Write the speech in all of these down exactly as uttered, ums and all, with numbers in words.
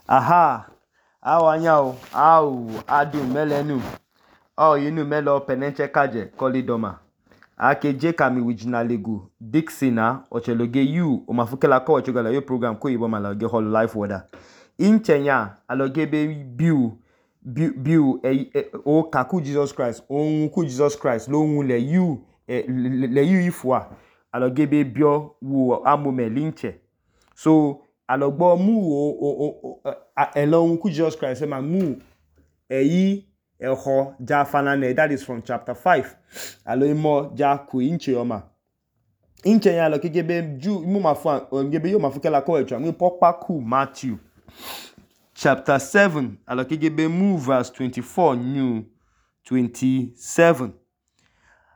Aha, awanyao, au, adu melenu, au yinu melo penenche kaje, kolidoma. Ake je kami wijinalegu, Dixina, ocheloge yu, omafukela ko ochogala yo program ko yibo malage hall life weather. Inchenya, aloge be biu, biu, biu, e, e, o kaku Jesus Christ, o unku Jesus Christ, lo un le yu, e, le, le yu ifwa, aloge be bio, wu amome linche. So, alogbo mu o, o, o, o, elo unku Jesus Christ, ema mu, e yi, e ho, ja fanane, that is from chapter five. Alo imo, ja ku inche yoma. Inche ya aloge be ju, mu mafu, gebe yo mafu kela ko echo, mu pokpa ku Matthew. Chapter seven, aloge be mu verse twenty-four, new twenty-seven.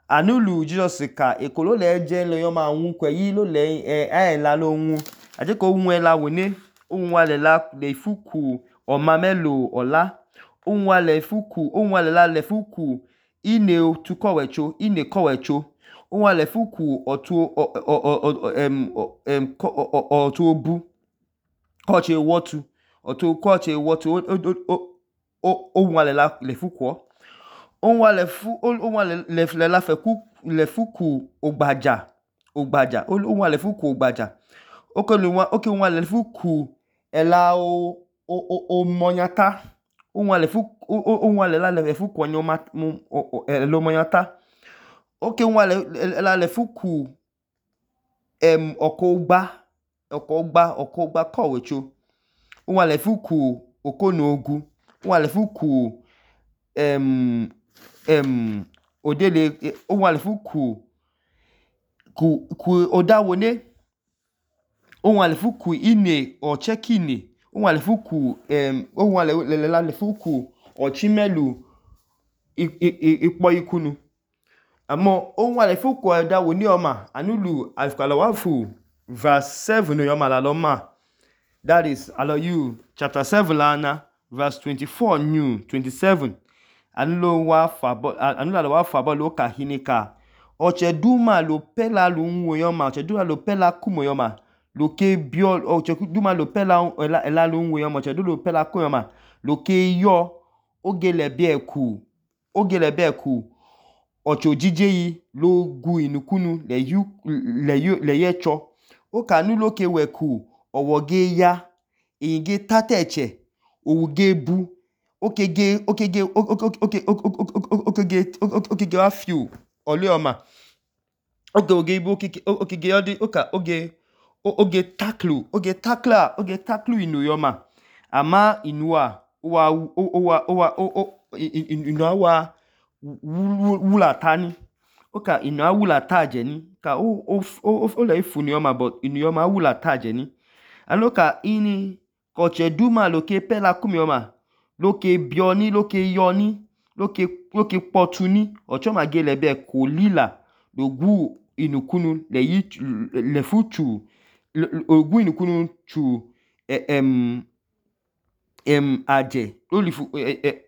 Anulu Jesus ka ekolo le eje lo yo ma un kwe yi lo le e e la lo un aje ko un e la woni un wa le la le fuku o ma melo ola un wa le fuku un wa le la le fuku ine tu ko wecho ine ko wecho un wa le fuku otu o o em em otu obu ko che wotu otu ko che wotu o o o un wa le la le fuku on wa le fu on wa le le la fe ku le fuku ogbaja ogbaja on wa le fuku ogbaja o ko lu wa o ke wa le fuku ela o o o monyata on wa le fuku on wa le la le fuku onyoma elo monyata o ke wa le la le fuku em okogba okogba okogba ko wecho on wa le fuku okonogu on wa le fuku em em odele o wa le fuku ku ku odawone o wa le fuku ine o chekine o wa le fuku em o wa le le la le fuku ochimelu ipo ikunu amo o wa le fuku odawone oma anulu alkala wafu verse seven yoma la loma, that is alo you chapter seven lana verse twenty-four new twenty-seven. Anulo wa fabo anula wa fabo lo ka hinika oche duma lo pela lu nwo yoma oche duma lo pela kumo yoma lo ke bio oche duma lo pela ela ela lu nwo yoma oche duma lo pela kumo yoma lo ke yo ogele bi eku ogele bi eku oche ojije yi lo gu inukunu le yu le yu le yecho o ka nulo ke weku owoge ya eyinge tateche owuge bu okege okege okege okege okege wa few olioma oge oge ibo okege okege odi oka oge oge taklu oge takla oge taklu inu yoma ama inua wa wa wa inua wa wula tani oka inua wula taje ni ka o o o le ifu ni yoma but inu yoma wula taje ni aloka ini koche duma lo ke pela kumi yoma loke bioni loke yoni loke loke potuni ochoma gele be ko lila logu inukunu le yi le futu ogu inukunu chu em em aje olifu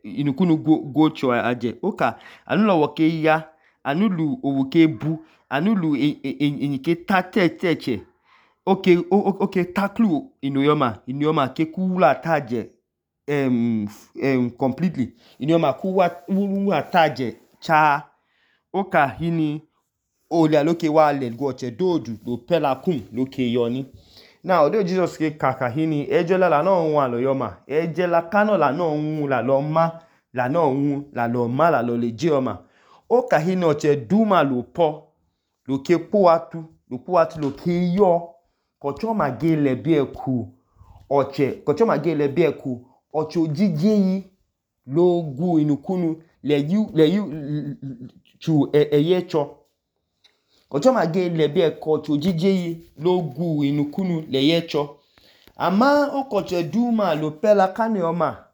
inukunu go go cho aje oka anulo woke ya anulu owuke bu anulu enyike tateteche oke oke taklu inuyoma inuyoma ke kula taje Um, um, completely inyoma kuwa wuwa taje cha oka hini ole aloke wa le goche dodu lo pela kum loke yoni now odo Jesus ke kaka hini ejola la no nwa lo yoma ejela kano la no nwu la lo ma la no nwu la lo ma la lo le jioma oka hini oche duma lo po lo ke po atu lo po atu lo ke yo kocho ma gele bi eku oche kocho ma gele bi eku ocho jije yi lo gu inukunu le yu le yu chu eyecho ocho ma ge le bi eko ocho jije yi lo gu inukunu le yecho ama okoche duma lo pela kane oma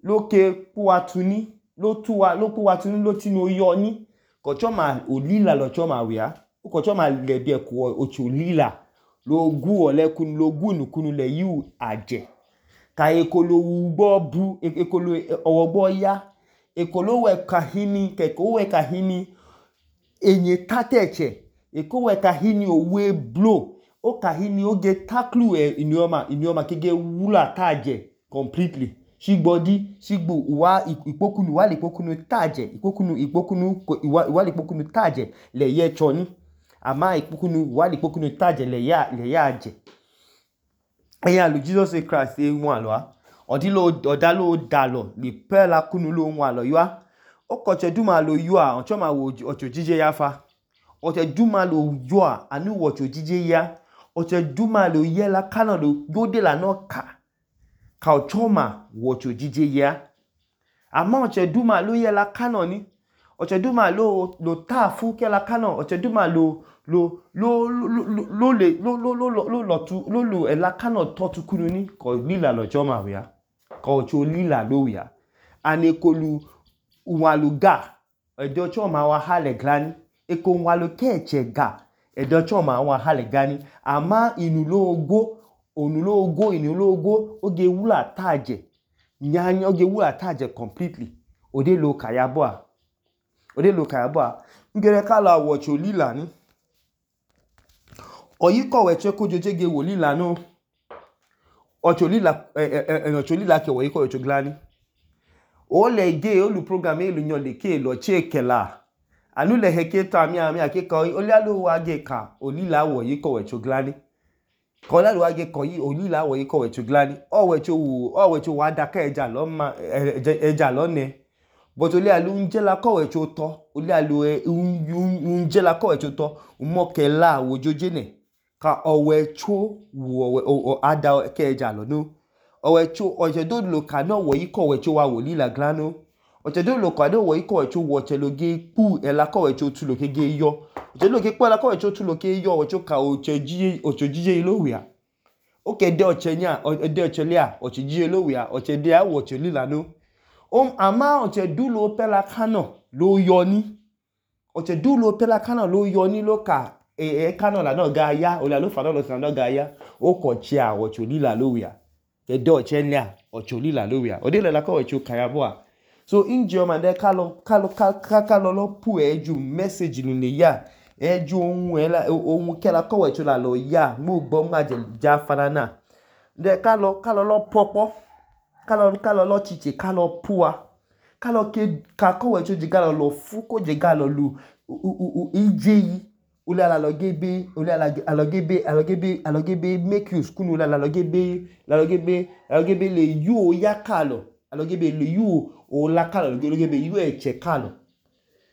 lo ke puatuni lo tuwa lo puatuni lo tinu yoni kocho ma olila lo cho ma wia kocho ma le bi eko ocho lila lo gu olekun lo gu inukunu le yu aje ka ekolo ugbo bu ekolo owogbo ya ekolo we kahini keko we kahini enye tateche eko we kahini owe blow o kahini oge taklu e inioma inioma kege wula taje completely shigbodi shigbo uwa ikpokunu uwa likpokunu taje ikpokunu ikpokunu uwa uwa likpokunu taje le ye choni ama ikpokunu uwa likpokunu taje le ya le ya je eya lu Jesus Christ e won alo a odilo odalo dalo le pe la kunu lo won alo yo a okoche duma lo yo a oncho ma wo ocho jije ya fa oche duma lo yo a anu wo ocho jije ya oche duma lo ye la kana lo yode la no ka ka ochoma wo ocho jije ya ama oche duma lo ye la kana ni oche duma lo lo ta fu ke la kana oche duma lo lo lo lo lo le lo lo lo lo lo tu lo lo e la kana to tu kunu ni ko lila lo choma we ya ko ocho lila lo we ya ane kolu uwaluga edo choma wa hale glani eko walu keche ga edo choma wa hale gani ama inulo ogo onulo ogo inulo ogo oge wula taje nyanya oge wula taje completely ode lo kayabo a ode lo kayabo a ngere kala wocho lila ni oyiko weche kojojege wo lila no ocho lila eh eh ocho lila ke oyiko wecho glani o le ge olu program e lu nyon le ke lo chekela anu le heke ta mi ami akeka oli alo wa ge ka olila wo yiko wecho glani ko la lo wa ge ko yi olila wo yiko wecho glani o wecho wu o wecho wa da ka eja lo ma eja lo ne but oli alu nje la ko wecho to oli alu nje la ko wecho to mo ke la wo joje ne ka owecho wo o ada ke eja lo no owecho oje do lo ka no wo yiko wecho wa wo lila glano oche do lo ka do wo yiko wecho wo che lo ge pu e la ko wecho tu lo ke ge yo oche lo ke pu la ko wecho tu lo ke yo wecho ka oche ji ocho jije lo wi a oke de oche nya de oche lia oche jije lo wi a oche de a wo che lila no o ama oche do lo pe la kano lo yo ni oche do lo pe la kano lo yo ni lo ka e e kano la no ga ya o la lo fa no lo san no ga ya o ko che a ocho lila lo wi a ke de oche lia ocho lila lo wi a o de la ko wecho kayabo a so inji o mande kalo kalo kalo lo pu eju message nu le ya eju ohun ela ohun kela ko wecho la lo ya mo gbo ma je ja fana na de kalo kalo lo popo kalo kalo lo chiche kalo puwa kalo ke ka ko wecho je galo lo fu ko je galo lu ije yi ule ala lo gebe ule ala alo gebe alo gebe alo gebe make use kunu ule ala lo gebe la lo gebe alo gebe le yu ya kalo alo gebe le yu o la kalo lo gebe yu eche kalo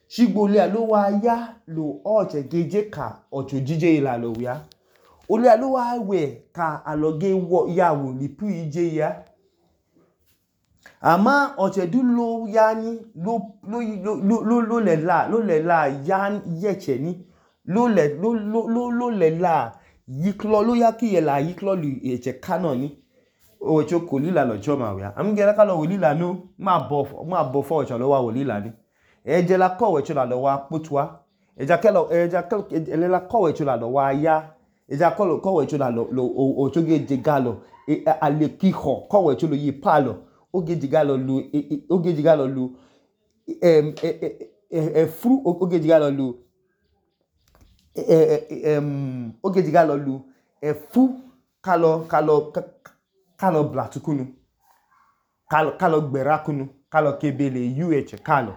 shigbo le alo wa ya lo oche geje ka ocho jije ila lo ya ole alo wa we ka alo ge wo ya wo lipu ije ya ama oche du lo ya ni lo lo lo lo le la lo le la ya yeche ni lo le lo lo lo le la yiklo lo ya ki ye la yiklo lu eche kano ni o cho ko lila lo choma we am gere ka lo wo lila no ma bo ma bo fo cho lo wa wo lila ni e je la ko we cho la lo wa putua e ja kelo e ja kelo ele la ko we cho la lo wa ya e ja ko lo ko we cho la lo o cho ge je galo e ale ki ho ko we cho lo yi palo o ge je galo lu o ge je galo lu em e fru o ge je galo lu em o ge je galo lu e fu kalo kalo kalo blatukunu kalo kalo gberakunu kalo kebele uh kalo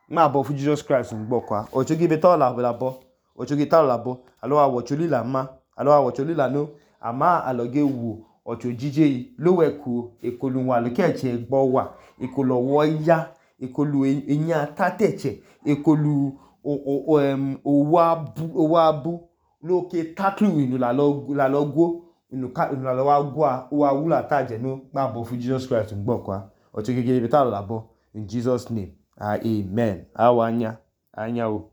ma bo fu Jesus Christ ngbo kwa ocho gibe to la la bo ocho gi ta la bo alo wa wo cholila ma alo wa wo cholila no ama aloge wo ocho jije lo we ku ekolu wa lo keche gbo wa ekolo wo ya ekolu eyan tateche ekolu o o em o wa bu o wa bu lo ke taklu inu la lo la lo go inu ka inu la lo wa gwa o wa wula taje no ma bo fu Jesus Christ ngbo kwa ocho gege be ta la bo in Jesus name. Ah, amen. Awanya. Anya o.